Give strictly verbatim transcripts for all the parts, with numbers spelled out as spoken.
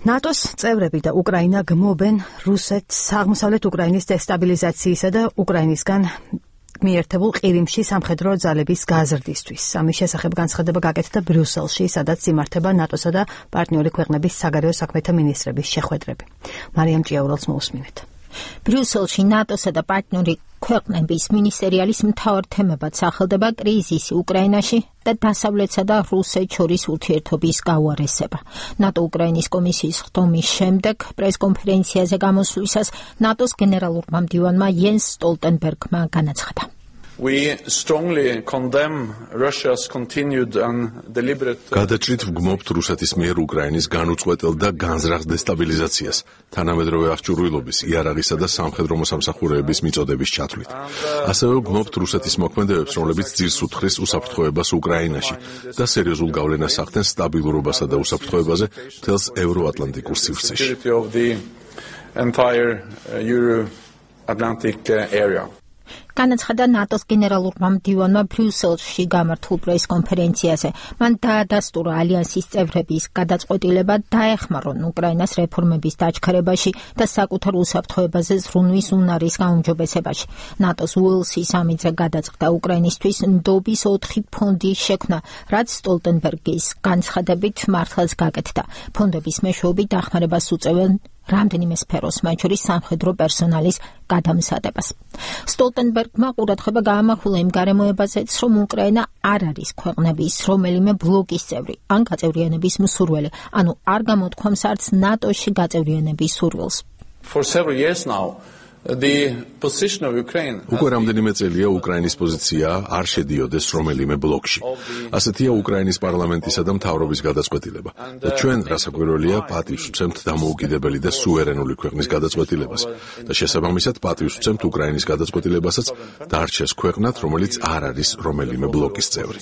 ნატოს წევრები და უკრაინა გმობენ რუსეთს აღმოსავლეთ უკრაინის დესტაბილიზაციისა და უკრაინისგან მიერთებულ ყირიმში სამხედრო ძალების გაზრდისთვის. ამის შესახებ განცხადება გაკეთდა ბრიუსელში, სადაც იმართება ნატოსა და პარტნიორი ქვეყნების საგარეო საქმეთა მინისტრების შეხვედრები. მარიამ ჭიაურელს მოусმინეთ. ბრიუსელში ნატოსა და პარტნიორი ქვეყნების მინისტერიალის მთავარ თემებად სახელდება კრიზისი უკრაინაში და დასავლეთსა და რუსეთს შორის ურთიერთობის გაუარესება. ნატო უკრაინის კომისიის ხდომის შემდეგ პრესკონფერენციაზე გამოსვლისას ნატოს გენერალურმა მდივანმა იენს სტოლტენბერგმა განაცხადა. We strongly condemn Russia's continued and deliberate გადაჭრით ვგმობთ რუსეთის მიერ უკრაინის განუწყვეტელ და განზრახ დესტაბილიზაციას, თანამედროვე აღჭურვილობის, იარაღისა და სამხედრო მოსამსახურეების მიწოდების ჩათვლით. ასევე ვგმობთ რუსეთის მოქმედებებს, რომლებიც ძირს უთხრეს უსაფრთხოებას უკრაინაში და სერიოზულ გავლენას ახდენს სტაბილურობასა და უსაფრთხოებაზე მთელს ევროატლანტიკურ სივრცეში. განაცხადა ნატოს გენერალურმა მდივანმა ბრიუსელში გამართულ პრესკონფერენციაზე. მან დაადასტურა ალიანსის წევრების გადაწყვეტილება დაეხმარონ უკრაინას რეფორმების დაჩქარებაში და საკუთარ უსაფრთხოებაზე ზრუნვის უნარის გაუმჯობესებაში. ნატოს უელსის სამიტზე გადაწყდა უკრაინისთვის ნდობის ოთხი ფონდის შექმნა, რაც სტოლტენბერგის განცხადებით მართლაც გაკეთდა. ფონდების მეშვეობით დახმარებას უწევენ რამდენიმე სფეროს, მათ შორის სამხედრო პერსონალის გადამზადებას. სტოლტენბერგმა ყურადღება გაამახვილა იმ გარემოებაზეც, რომ უკრაინა არ არის ქვეყნების რომელიმე ბლოკის წევრი ან გაწევრიანების მსურველი, ანუ არ გამოთქვამს არც ნატოში გაწევრიანების სურვილს. For several years now, the position of Ukraine უკვე რამდენიმე წელია უკრაინის პოზიცია არ შედიოდეს რომელიმე ბლოკში. ასეთია უკრაინის პარლამენტისა და მთავრობის გადაწყვეტილება. და ჩვენ, რასაკვირველია, პატივს ვცემთ დამოუკიდებელი და სუვერენული ქვეყნის გადაწყვეტილებას. და შესაბამისად პატივს ვცემთ უკრაინის გადაწყვეტილებასაც დარჩეს ქვეყნად, რომელიც არ არის რომელიმე ბლოკის წევრი.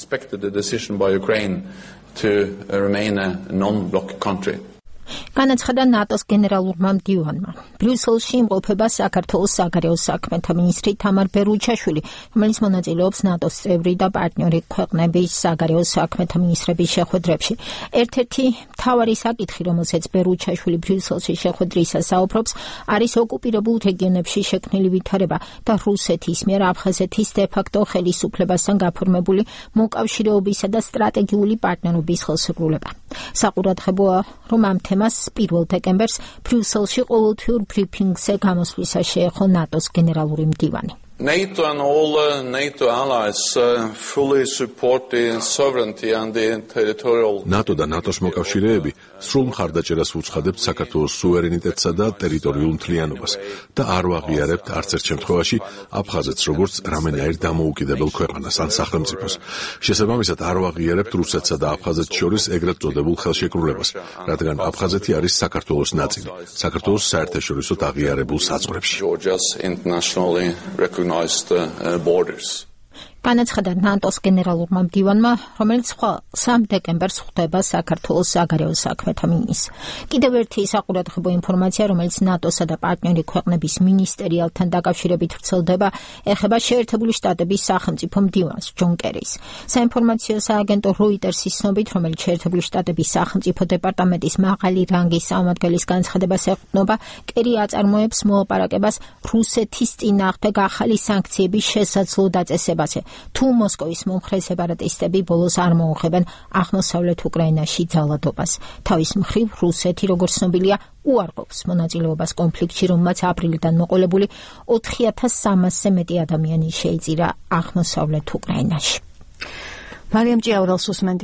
განაცხადა ნატოს გენერალურმა მდივანმა. ბრიუსელში იმყოფება საქართველოს საგარეო საქმეთა მინისტრი თამარ ბერუჩაშვილი, რომელიც მონაწილეობს ნატოს წევრი და პარტნიორი ქვეყნების საგარეო საქმეთა მინისტრების შეხვედრებში. ერთ-ერთი მთავარი საკითხი, რომელსაც ბერუჩაშვილი ბრიუსელში შეხვედრისას საუბრობს, არის ოკუპირებულ რეგიონებში შექმნილი ვითარება და რუსეთის მიერ აფხაზეთის დე-ფაქტო ხელისუფლებასთან გაფორმებული მოკავშირეობისა და სტრატეგიული პარტნიორობის ხელშეკრულება. საყურადღებოა, რომ ამ თემას პირველ დეკემბერს ბრიუსელში ყოველთვიურ ბრიფინგზე გამოსვლისას შეეხო ნატოს გენერალური მდივანი. NATO and all uh, NATO allies uh, fully support the sovereignty and the territorial NATO და ნატოს მოკავშირეები სრულ მხარდაჭერას უცხადებთ საქართველოს სუვერენიტეტსა და ტერიტორიულ მთლიანობას და არ ვაღიარებთ არც ერთ შემთხვევაში აფხაზეთს როგორც რამენაირ დამოუკიდებელ ქვეყანას ან სახელმწიფოს. შესაბამისად არ ვაღიარებთ რუსეთსა და აფხაზეთს შორის ეგრეთ წოდებულ ხელშეკრულებას, რადგან აფხაზეთი არის საქართველოს ნაწილი, საქართველოს საერთაშორისო აღიარებულ საზღვრებში. განაცხადა ნატოს გენერალურმა მდივანმა, რომელიც სამ დეკემბერს ხვდება საქართველოს საგარეო საქმეთა მინისტრს. კიდევ ერთი საყურადღებო ინფორმაცია, რომელიც ნატოსა და პარტნიორი ქვეყნების მინისტერიალთან დაკავშირებით ვრცელდება, ეხება შეერთებული შტატების სახელმწიფო მდივანს ჯონ კერის. საინფორმაციო სააგენტო როიტერსის ცნობით, რომელიც შეერთებული შტატების სახელმწიფო დეპარტამენტის მაღალი რანგის წარმომადგენლის განცხადებას ეყრდნობა, კერი აწარმოებს მოლაპარაკებას რუსეთის წინააღმდეგ ახალი სანქციების შესაძლო დაწესებაზე. თუ მოსკოვის მომხრე სეპარატისტები ბოლოს არ მოუხებენ აღმოსავლეთ უკრაინაში ძალადობას. თავის მხრივ რუსეთი, როგორც ცნობილია, უარყოფს მონაწილეობას კონფლიქტში, რომელმაც აპრილიდან მოყოლებული ოთხი ათას სამასზე მეტი ადამიანი შეიწირა აღმოსავლეთ უკრაინაში. მარიამ ჭიაურელს უსმენთ.